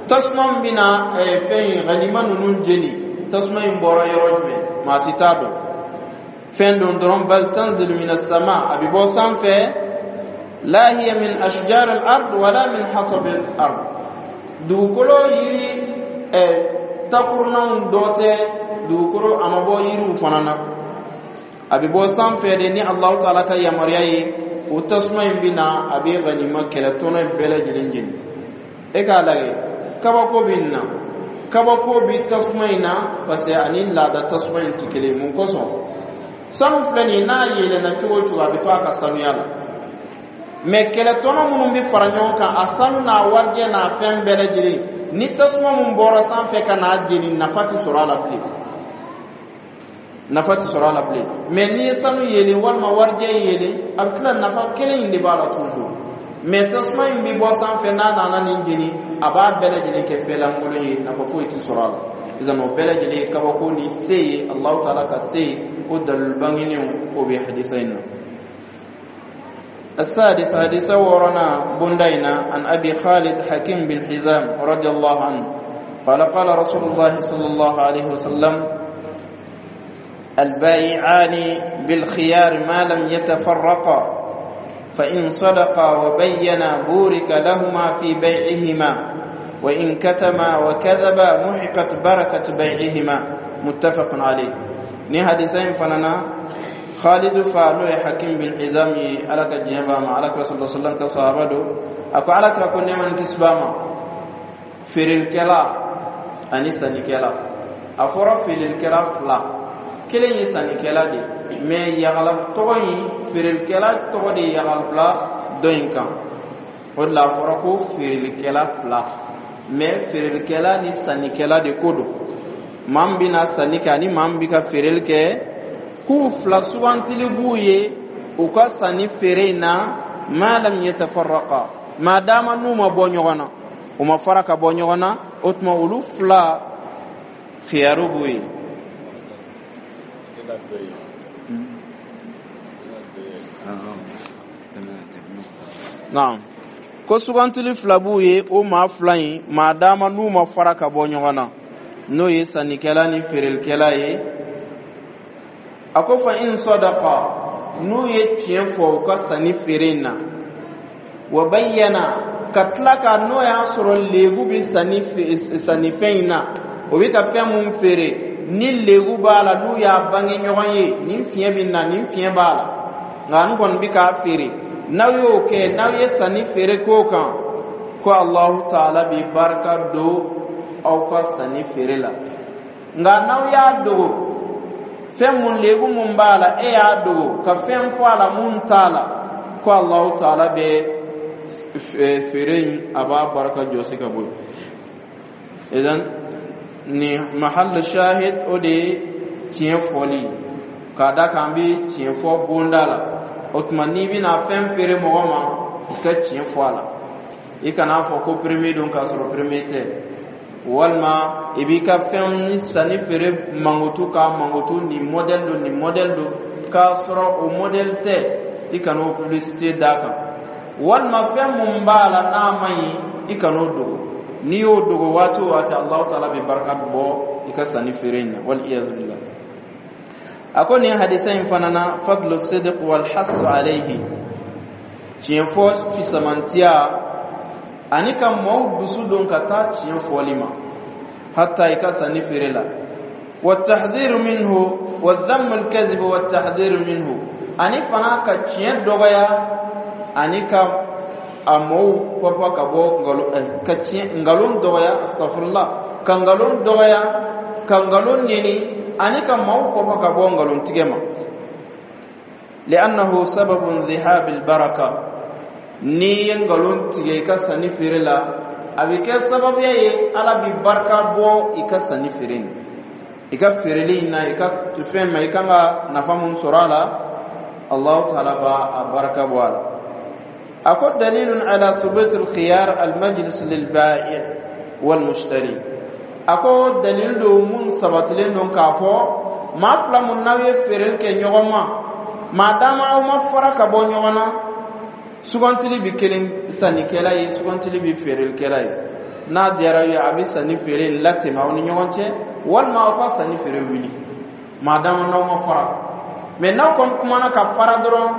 A: Tasuma min bɛna fɛn in ganima ninnu jeni, tasuma in bɔra yɔrɔ jumɛn, maa si t'a dɔn. Fɛn don dɔrɔn, bal tanzilu min as-sama, a bɛ bɔ sanfɛ. La hiya min ashjar al-ard wala min hatab al-ard, dugukolo yiri takurunanw dɔ tɛ, dugukolo a ma bɔ yiriw fana na, a bɛ bɔ sanfɛ de ni Alahu taala ka yamaruya ye. O tasuma in bɛ na, a bɛ ganima kɛlɛtɔnɔ in bɛɛ lajɛlen jeni. E k'a lajɛ, kabako bɛ nin na, kabako bɛ tasuma in na, parce que ani laada tasuma in tɛ kelen ye. Mun kosɔn? Sanu filɛ nin ye, n'a yeelenna cogo o cogo, a bɛ to a ka sanuya la. Mɛ kɛlɛtɔnɔ minnu bɛ fara ɲɔgɔn kan, a sanu n'a warijɛ n'a fɛn bɛɛ lajɛlen, ni tasuma mun bɔra sanfɛ ka n'a jeni, nafa tɛ sɔrɔ a la bilen, nafa tɛ sɔrɔ a la bilen. Mɛ n'i ye sanu yeelen walima warijɛ yeelen, a bɛ tila, nafa kelen in de b'a la toujours. Mɛ tasuma in bɛ bɔ sanfɛ, n'a nana nin jeni, a b'a bɛɛ lajɛlen kɛ fɛn lankolon ye, nafa foyi tɛ sɔrɔ a la. Idan o bɛɛ lajɛlen ye kabako ni se ye, Alahu taala ka se ye. O dalilu bangenenw, o bɛ hadisa in na. السادس، حديث ورنا بندينا، عن أبي خالد حكيم بن حزام رضي الله عنه قال: قال رسول الله صلى الله عليه وسلم: البائعان بالخيار ما لم يتفرقا، فإن صدقا وبينا بورك لهما في بيعهما، وإن كتما وكذبا محقت بركة بيعهما. متفق عليه. Ni hadisa in fana na، Khalidu fa n'o ye Hakim bin Hizam ye، Ala ka diɲɛ b'a ma، Ala kira sallallahu alaihi wasallam ka sahaba do، a ko Ala kira ko nɛɛma ni kisi b'a ma: feerelikɛla ani sannikɛla. A fɔra feerelikɛla fila، kelen ye sannikɛla de، mais yagala tɔgɔ in، feerelikɛla tɔgɔ de ye yagalabila dɔ in kan. O de la a fɔra ko feerelikɛla fila، mais feerelikɛla ni sannikɛla de ko don. Maa min bɛna sanni kɛ ani maa min bɛ ka feereli kɛ، k'u fila sugantili b'u ye u ka sanni feere in na. Ma lam yatafarraqa، maa dama n'u ma bɔ ɲɔgɔn na، u ma fara ka bɔ ɲɔgɔn na، o tuma olu fila khiyaru b'u ye. Naam، ko sugantili fila b'u ye، o maa fila in، maa dama n'u ma fara ka bɔ ɲɔgɔn na، n'o ye sannikɛla ni feerelikɛla ye. A ko fa in sadaqa، n'u ye tiɲɛ fɔ u ka sanni feere in na، wa bayyana، ka tila ka n'o y'a sɔrɔ lebu bɛ sanni sannifɛn in na، o bɛ ka fɛn mun feere ni lebu b'a la، n'u y'a bange ɲɔgɔn ye: nin fiɲɛ bɛ na، nin fiɲɛ b'a la، nka n kɔni bɛ k'a feere. N'aw y'o kɛ، n'aw ye sanni feere k'o kan، ko Alahu taala bɛ barika don aw ka sanni feere la. Nka n'aw y'a dogo، fɛn mun lebu mun b'a la، e y'a dogo ka fɛn fɔ a la mun t'a la، ko Alahu taala bɛ feere in، a b'a barika jɔsi ka bɔ yen. Idan ni mahal shahid، o de ye tiɲɛ fɔli، k'a da kan an bɛ tiɲɛ fɔ bonda la. O tuma n'i bɛna fɛn feere mɔgɔ ma، i ka tiɲɛ fɔ a la. I kan'a fɔ ko premier don k'a sɔrɔ premier tɛ، walima i b'i ka fɛn ni sanni feere mankutu k'a mankutu: nin modèle don، nin modèle don، k'a sɔrɔ o modèle tɛ. I kana o publicité d'a kan. Walima fɛn mun b'a la n'a man ɲi، i kan'o dogo. N'i y'o dogo waati o waati، Alahu taala bɛ barika bɔ i ka sanni feere in na، wal iyazu billah. A ko nin hadisa in fana na، fadlu sidq wal hasu alayhi، tiɲɛ fɔ fisamantiya ani ka maaw dusu don ka taa tiɲɛ fɔli ma، hatta i ka sanni feere la. والتحذير منه والذم الكذب والتحذير منه، ani fana ka tiɲɛ dɔgɔya ani ka a mɔw papa ka bɔ nkalon ka tiɲɛ nkalon dɔgɔya، astafurlah، ka nkalon dɔgɔya، ka nkalon neni، ani ka maaw papa ka bɔ nkalon tigɛ ma. لأنه سبب ذهاب البركة. N'i ye nkalon tigɛ i ka sanni feere la، a bɛ kɛ sababuya ye Ala bi barika bɔ i ka sanni feere in، i ka feereli in na، i ka fɛn ma، i kan ka nafa mun sɔrɔ a la، Allahu taala b'a a barika bɔ a la. A ko dalilun ala thubut al-khiyar al-majlis lil-ba'i' wal-mushtari. A ko dalil do mun sabatilen don k'a fɔ maa fila mun n'aw ye feereli kɛ ɲɔgɔn ma، maa dama aw ma fara ka bɔ ɲɔgɔn na، sugantili bi kelen sannikɛla ye، sugantili bi feerelikɛla ye. N'a diyara ye، a bɛ sanni feere latɛmɛ aw ni ɲɔgɔn cɛ، walima aw ka sanni feere wuli، maa dama n'aw ma fara. Mais n'aw kɔni kumana ka fara dɔrɔn,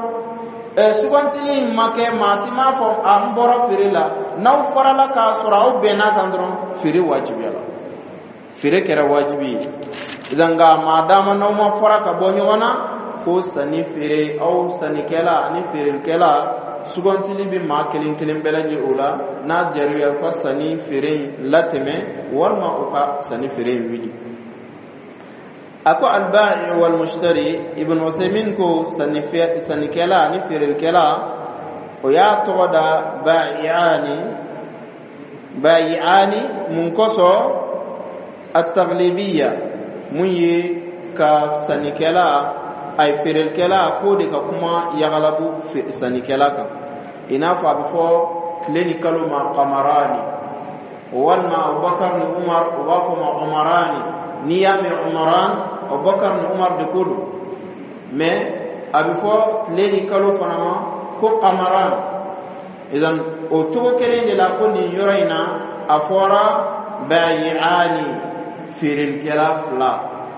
A: sugantili in ma kɛ، maa si m'a fɔ a n bɔra feere la. N'aw farala k'a sɔrɔ aw bɛnn'a kan dɔrɔn، feere wajibiyala، feere kɛra wajibi ye. Nka maa dama n'aw ma fara ka bɔ ɲɔgɔn na، ko sanni feere، aw sannikɛla ani feerelikɛla، sugantili bɛ maa kelen kelen bɛɛ lajɛlen o la. N'a diyara ye، u ka sanni feere in latɛmɛ، walima u ka sanni feere in wuli. A ko albai wal mushtari، Ibn Uthaymin ko sannikɛla ani feerelikɛla، o y'a tɔgɔ da ba'i'ani. Ba'i'ani mun kosɔn? At-taglibiyya، mun ye ka sannikɛla a ye feerelikɛla k'o de ka kuma yagalabu sannikɛla kan، i n'a fɔ a bɛ fɔ tile ni kalo ma qamarani، walima Abubakar ni Umar، u b'a fɔ ma umarani. N'i y'a mɛn umaran، Abubakar ni Umar de ko don. Mais a bɛ fɔ tile ni kalo fana ma. ko qamaran. Idan o cogo kelen de la ko nin yɔrɔ in na a fɔra bayi'ani, feerelikɛla fila.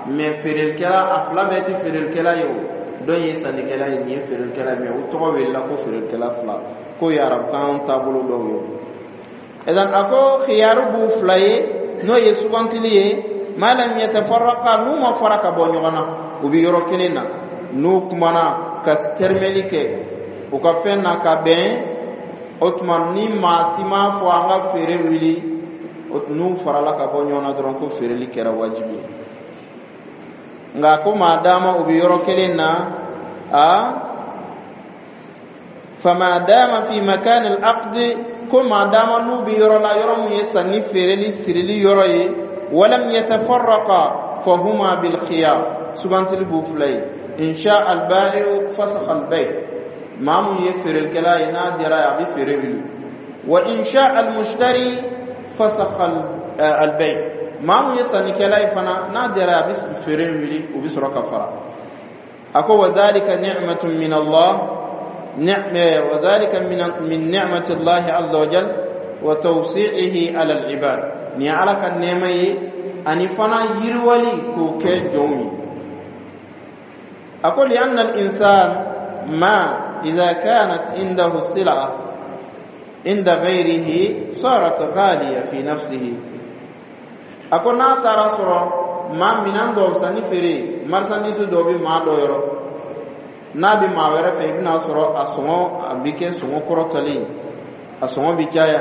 A: Mais feerelikɛla a fila bɛɛ tɛ feerelikɛla ye, o dɔ ye sannikɛla ye, nin ye feerelikɛla ye, mais o tɔgɔ welela ko feerelikɛla fila, k'o ye arabukan taabolo dɔw ye. Idan a ko khiyaru b'u fila ye, n'o ye sugantili ye, ma lam yatafarraqa, n'u ma fara ka bɔ ɲɔgɔn na, u bɛ yɔrɔ kelen na, n'u kumana ka tɛrɛmɛli kɛ u ka fɛn na ka bɛn. O tuma ni maa si m'a fɔ an ka feere wuli, n'u farala ka bɔ ɲɔgɔn na dɔrɔn, ko feereli kɛra wajibi ye. Nka ko maa dama u bɛ yɔrɔ kelen na, a fama dama fi makan al-aqd, ko maa dama n'u bɛ yɔrɔ la, yɔrɔ mun ye sanni feereli sirili yɔrɔ ye, walam yatafarraqa fahuma bil khiyar, sugantili b'u fila ye. In sha al-ba'i'u fasakha al-bay', maa mun ye feerelikɛla ye, n'a diyara ye a bɛ feere wuli. Wa in sha al-mushtari fasakha al-bay', maa mun ye sannikɛla ye fana, n'a diyara ye a bɛ feere wuli, u bɛ sɔrɔ ka fara. A ko wa dhalika ni'matun min Allah, wa dhalika min ni'mati Allah azza wa jal wa tawsi'ihi ala al-ibad, ni ala ka nɛɛma ye ani fana yiriwali k'o kɛ jɔnw ye. A ko li anna al-insan ma إذا كانت عنده السلعة عند غيره صارت غالية في نفسه. A ko n'a taara sɔrɔ maa minan dɔw sanni feere, marchandise dɔw bɛ maa dɔ yɔrɔ, n'a bɛ maa wɛrɛ fɛ, i bɛna sɔrɔ a sɔngɔ a bɛ kɛ sɔngɔ kɔrɔtɔlen, a sɔngɔ bɛ caya.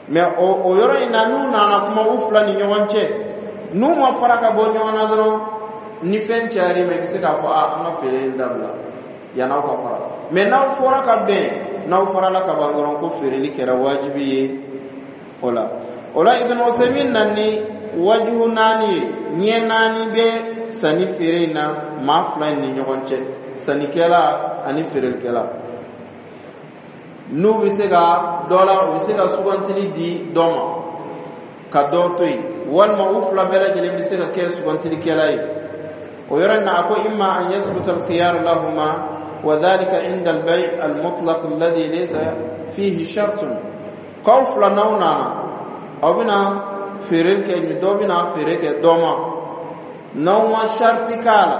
A: Mais o yɔrɔ in na, n'u nana kuma u fila ni ɲɔgɔn cɛ, n'u ma fara ka bɔ ɲɔgɔn na dɔrɔn, ni fɛn cayara i ma, i bɛ se k'a fɔ a an ka feere in dabila yann'aw ka fara. Mais n'aw fɔra ka bɛn, n'aw farala ka ban dɔrɔn, ko feereli kɛra wajibi ye. O la Ibn Uthaymin na ni wajibu naani ye, ɲɛ naani bɛ sanni feere in na maa fila in ni ɲɔgɔn cɛ, sannikɛla ani feerelikɛla. N'u bɛ se ka dɔ la, u bɛ se ka sugantili di dɔ ma ka dɔ to yen, walima u fila bɛɛ lajɛlen bɛ se ka kɛ sugantilikɛla ye. O yɔrɔ in na, a ko imma an yasbuta al-khiyar lahuma wa dhalika inda al-bay' al-mutlaq alladhi laysa fihi shartun. K'aw fila n'aw nana, aw bɛna feere kɛ, dɔ bɛna feere kɛ dɔ ma, n'aw ma sharti k'a la,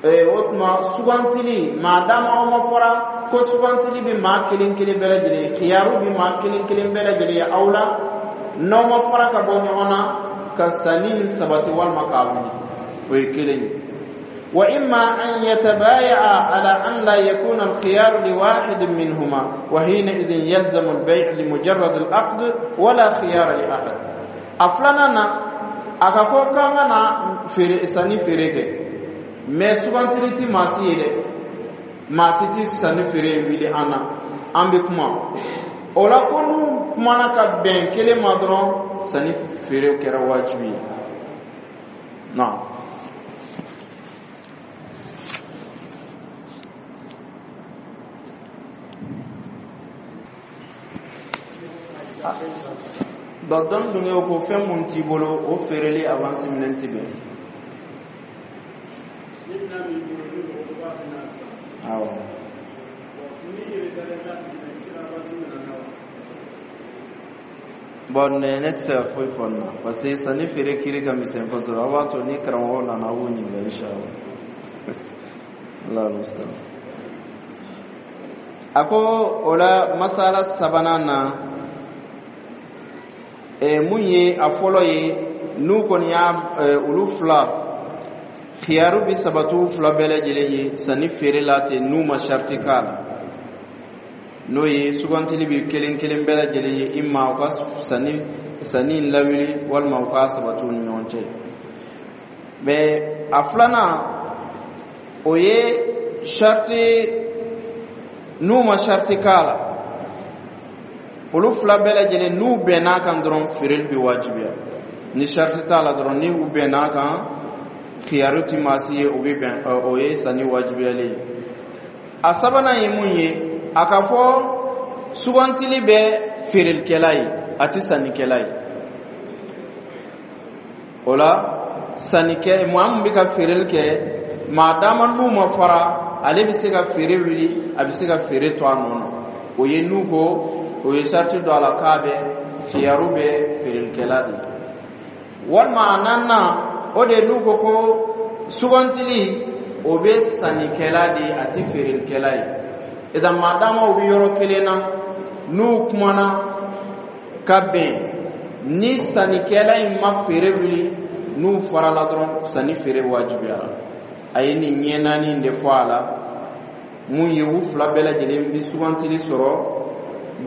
A: o tuma sugantili, maa dama aw ma fɔra ko sugantili bɛ maa kelen kelen bɛɛ lajɛlen ye, khiyaru bɛ maa kelen kelen bɛɛ lajɛlen ye aw la, n'aw ma fara ka bɔ ɲɔgɔn na ka sanni sabati walima k'a wuli, o ye kelen ye. Wa imma an yatabaya'a ala an la yakuna al-khiyar li wahid minhuma, wa hina idhin yalzamu al-bay' li mujarrad al-aqd wala khiyar li ahad. A filanan na, a ka ko k'an ka na feere, sanni feere kɛ, mais sugantili ti maa si ye dɛ, maa si ti sanni feere wuli an na, an bɛ kuma o la. Ko n'u kumana ka bɛn kelen ma dɔrɔn, sanni feere kɛra wajibi ye. Naam. Donc dɔn dun ko fɛn mun t'i bolo, o feereli avance minɛn ti bɛn. Awɔ. Bon, ne tɛ se ka foyi fɔ nin na, parce que sanni feere kiri ka misɛn kosɛbɛ. Aw b'a to ni karamɔgɔw nana, aw b'u ɲininka inshallah. Allah musta'an. A ko o la masala sabanan na, mun ye a fɔlɔ ye, n'u kɔni y'a olu fila khiyaru bi sabatu fila bɛɛ lajɛlen ye sanni feere la ten, n'u ma sharti k'a la, n'o ye sugantili bi kelen kelen bɛɛ lajɛlen ye, imma u ka sanni in lawuli walima u k'a sabati u ni ɲɔgɔn cɛ. Mais a filanan, o ye sharti, n'u ma sharti k'a la, olu fila bɛɛ lajɛlen n'u bɛnn'a kan dɔrɔn, feereli bɛ wajibiya. Ni sharti t'a la dɔrɔn, ni u bɛnn'a kan, khiyaru ti maa si ye, o bɛ bɛn, o ye sanni wajibiyalen ye. A sabanan ye mun ye, a ka fɔ sugantili bɛ feerelikɛla ye, a ti sannikɛla ye. O la sannikɛ, maa min bɛ ka feereli kɛ, maa dama n'u ma fara Ale bɛ se ka feere wuli, a bɛ se ka feere to a nɔ na. O ye n'u ko o ye sariti don a la k'a bɛ khiyaru bɛ feerelikɛla de. Walima a naaninan, o de ye n'u ko ko sugantili, o bɛ sannikɛla de ye, a tɛ feerelikɛla ye. Idan maadama u bɛ yɔrɔ kelen na, n'u kumana ka bɛn, ni sannikɛla in ma feere wuli, n'u farala dɔrɔn, sanni feere wajibiyara. A ye nin ɲɛ naani de fɔ a la. Mun ye? U fila bɛɛ lajɛlen bɛ sugantili sɔrɔ,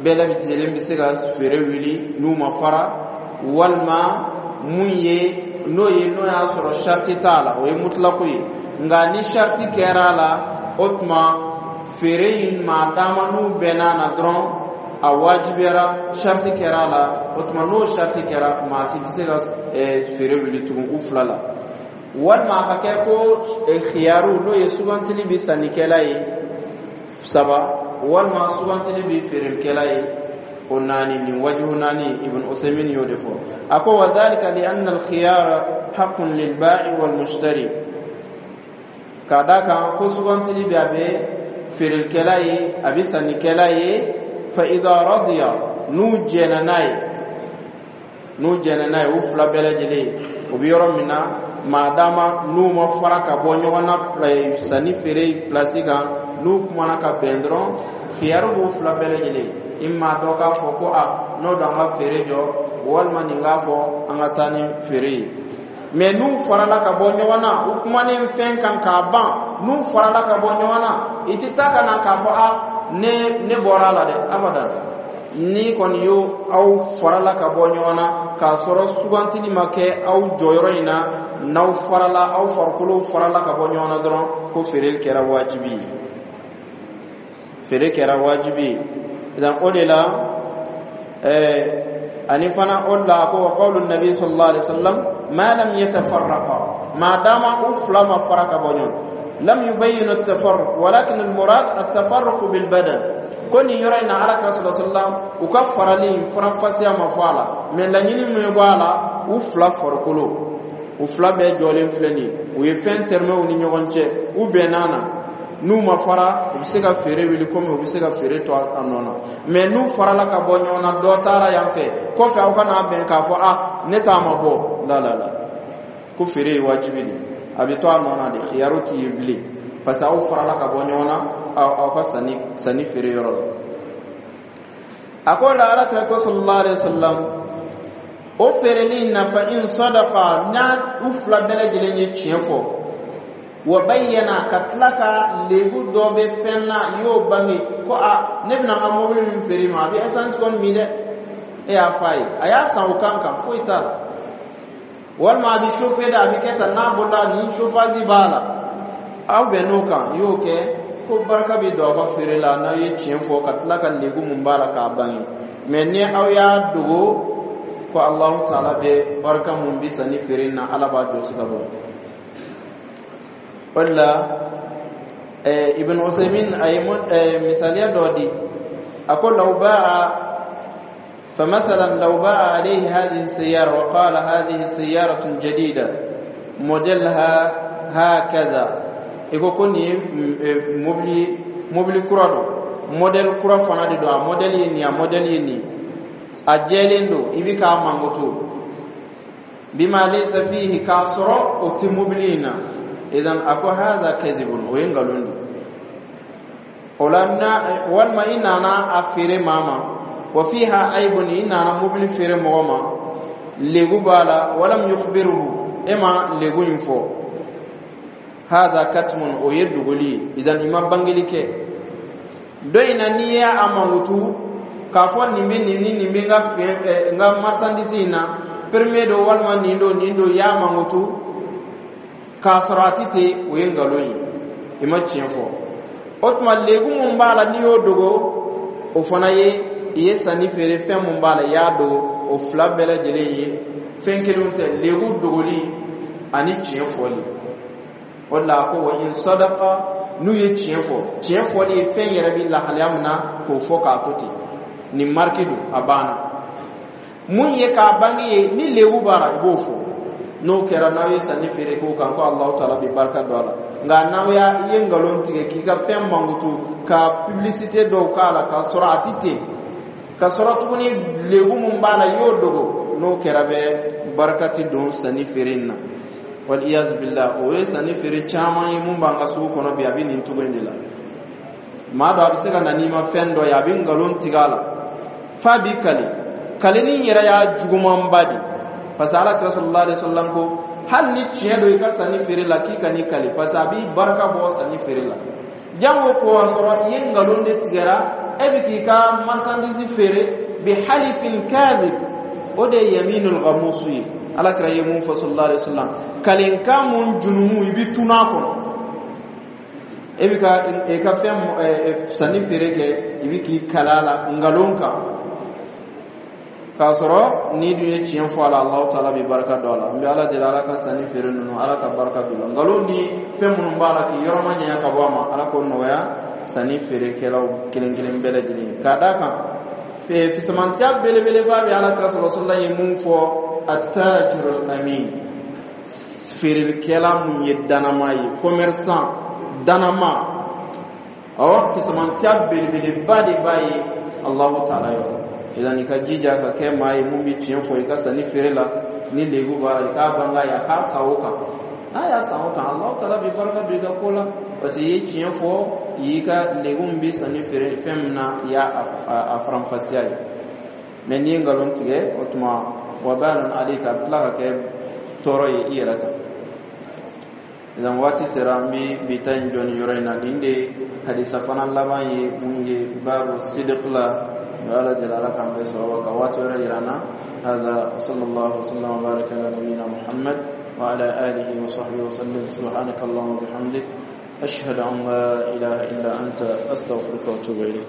A: bɛɛ lajɛlen bɛ se ka feere wuli n'u ma fara. Walima mun ye? N'o ye, n'o y'a sɔrɔ sariti t'a la, o ye mutulako ye. Nka ni sariti kɛra a la, o tuma feere in, maadama n'u bɛnna na dɔrɔn, a wajibiyara. Sariti kɛra a la, o tuma n'o sariti kɛra, maa si tɛ se ka feere wuli tugun u fila la. Walima a ka kɛ ko khiyaru, n'o ye sugantili bɛ sannikɛla ye, saba, walima sugantili bɛ feerelikɛla ye, o naani. Nin wajibu naani, Ibn Usaymin y'o de fɔ. A ko: wa dhalika li anna al-khiyara haqqun lil ba'i wal mushtari. K'a d'a kan ko sugantili bɛ, a bɛ feerelikɛla ye, a bɛ sannikɛla ye. Fa idha radiya, n'u jɛnna n'a ye, n'u jɛnna n'a ye, u fila bɛɛ lajɛlen, o bɛ yɔrɔ min na, maadama n'u ma fara ka bɔ ɲɔgɔn na sanni feere pilasi kan, n'u kumana ka bɛn dɔrɔn, khiyaru b'u fila bɛɛ lajɛlen. Imma dɔ k'a fɔ ko a n'o don, an ka feere jɔ, walima nin k'a fɔ an ka taa ni feere ye. Mɛ n'u farala ka bɔ ɲɔgɔn na, u kumanen fɛn kan k'a ban, n'u farala ka bɔ ɲɔgɔn na, i ti taa ka na k'a fɔ a ne bɔra a la dɛ, abada. Ni kɔni y'o aw farala ka bɔ ɲɔgɔn na k'a sɔrɔ sugantili ma kɛ aw jɔyɔrɔ in na, n'aw farala, aw farikolo farala ka bɔ ɲɔgɔn na dɔrɔn, ko feere kɛra wajibi ye, feere kɛra wajibi ye. Donc o de la ani fana o de la, ko wa qawlu nabi sallallahu alaihi wasallam ma lam yatafarraqa, ma dama u fila ma fara ka bɔ ɲɔgɔn. Lam yubayyin at-tafarruq, walakin al-murad at-tafarruq bil badan. Ko nin yɔrɔ in na, Ala kira sallallahu alaihi wasallam u ka farali faranfasiya ma fɔ a la, mɛ laɲini min bɔ a la, u fila farikolo, u fila bɛɛ jɔlen filɛ nin ye, u ye fɛn tɛrɛmɛw ni ɲɔgɔn cɛ, u bɛnna na, n'u ma fara, u bɛ se ka feere wuli komi u bɛ se ka feere to a nɔ na. Mɛ n'u farala ka bɔ ɲɔgɔn na, dɔ taara yan fɛ kɔfɛ, aw kana bɛn k'a fɔ a ne t'a ma bɔ la la la, ko feere ye wajibi de, a bɛ to a nɔ na de, khiyaru t'i ye bilen, parce que aw farala ka bɔ ɲɔgɔn na aw ka sanni feere yɔrɔ la. A ko la, Ala kira ko sallallahu alaihi wasallam, o feereli in na, fa in sadaqa, n'a u fila bɛɛ lajɛlen ye tiɲɛ fɔ, wa bayyana, ka tila ka lebu dɔ bɛ fɛn na, i y'o bange ko a ne bɛna n ka mobili min feere i ma, a bɛ essence kɔni min dɛ, e y'a fɔ a ye, a y'a san o kan kan, foyi t'a la. Walima a bɛ chauffer dɛ, a bɛ kɛ tan, n'a bɔra ni chauffage b'a la, aw bɛn n'o kan, i y'o kɛ, ko barika bɛ don aw ka feere la n'aw ye tiɲɛ fɔ ka tila ka lebu mun b'a la k'a bange. Mɛ ni aw y'a dogo, ko Alahu taala bɛ barika mun bi sanni feere na, Ala b'a jɔsi ka bɔ o de la. Ibn Usaymin a ye misaliya dɔ di. A ko: law ba'a فمثلا لو باع عليه هذه السيارة وقال هذه سيارة جديدة موديلها هكذا، iko ko nin ye mobili kura don, modèle kura fana de don, a modèle ye nin, a modèle ye nin, a jɛlen don, i bi k'a mankutu bima laysa fihi, k'a sɔrɔ o tɛ mobili in na. Idan a ko hadha kadhibun, o ye nkalon de. O la na, walima i nana a feere maa ma, wa fiha aybun, i nana mobili feere mɔgɔ ma, legu b'a la, walam yukhbiruhu, e ma legu in fɔ, hadha katmun, o ye dogoli ye. Idan i ma bangeli kɛ dɔ in na, n'i y'a mankutu k'a fɔ nin bɛ nin ni nin bɛ n ka fɛn, n ka marchandise in na, premier don, walima nin don, nin don, i y'a mankutu k'a sɔrɔ a ti ten, o ye nkalon ye, i ma tiɲɛ fɔ. O tuma legu mun b'a la, n'i y'o dogo, o fana ye i ye sanni feere fɛn mun b'a la, i y'a dogo. O fila bɛɛ lajɛlen ye fɛn kelenw tɛ, legu dogoli ani tiɲɛ fɔli. O de la a ko: wa in sadaqa, n'u ye tiɲɛ fɔ, tiɲɛ fɔli ye fɛn yɛrɛ bɛ lahalaya min na k'o fɔ k'a to ten, nin marque don, a banna. Mun ye k'a bange ye, ni lebu b'a la, i b'o fɔ. N'o kɛra, n'aw ye sanni feere k'o kan, ko Alahu taala bɛ barika don a la. Nka n'aw y'a i ye nkalon tigɛ k'i ka fɛn mankutu ka publicité dɔw k'a la, k'a sɔrɔ a ti ten, ka sɔrɔ tuguni lebu mun b'a la, i y'o dogo, n'o kɛra bɛ barika ti don sanni feere in na. Wal iyaz billah, o ye sanni feere caman ye mun b'an ka sugu kɔnɔ bi. A bɛ nin cogo in de la. Maa dɔ, a bɛ se ka na n'i ma fɛn dɔ ye, a bɛ nkalon tigɛ a la f'a b'i kali. Kalini yɛrɛ y'a jugumanba de, parce que Ala kira sallallahu alaihi wasallam ko hali ni tiɲɛ don i ka sanni feere la, k'i ka n'i kali, parce que a b'i barika bɔ sanni feere la. Jango ko a sɔrɔ i ye nkalon de tigɛra, e bɛ k'i ka marchandise feere bi halifin kadhib. O de ye yaminul ghamus ye. Ala kira ye mun fɔ sallallahu alaihi wasallam? Kalenkan mun junumu, i bɛ tun'a kɔnɔ. E bɛ ka i ka fɛn sanni feere kɛ, i bɛ k'i kala la nkalon kan, k'a sɔrɔ n'i dun ye tiɲɛ fɔ a la, Alahu taala bɛ barika don a la. N bɛ Ala deli, Ala ka sanni feere ninnu, Ala ka barika don la. Nkalon ni fɛn minnu b'a la k'i yɔrɔ ma ɲɛ ka bɔ a ma, Ala k'o nɔgɔya sanni feerekɛlaw kelen kelen bɛɛ lajɛlen ye. K'a d'a kan fisamantiya belebeleba bɛ Ala kira sɔrɔ sɔrɔ ye mun fɔ? Attajirul amin, feerelikɛla mun ye danama ye, commerçant danama. Awɔ, fisamantiya belebeleba de b'a ye Alahu taala yɔrɔ. Idan i ka jija ka kɛ maa ye mun bɛ tiɲɛ fɔ i ka sanni feere la. Ni lebu b'a la, i k'a bange a ye, a k'a san o kan. N'a y'a san o kan, Alahu taala bɛ barika don i ka ko la, parce que i ye tiɲɛ fɔ, i y'i ka lebu min bɛ sanni feere fɛn min na, i y'a a faranfasiya ye. Mɛ n'i ye nkalon tigɛ, o tuma wabalun alayka, a bɛ tila ka kɛ tɔɔrɔ ye i yɛrɛ kan. Idan waati sera, an bɛ bi ta in jɔ nin yɔrɔ in na. Nin de hadisa fana laban ye mun ye baabu sidiq la. N bɛ Ala deli, Ala k'an bɛɛ sɔrɔ ka waati wɛrɛ yira an na. هذا وصلى الله وسلم وبارك على نبينا محمد وعلى آله وصحبه وسلم. سبحانك اللهم وبحمدك، أشهد أن لا إله إلا أنت، أستغفرك وأتوب إليك.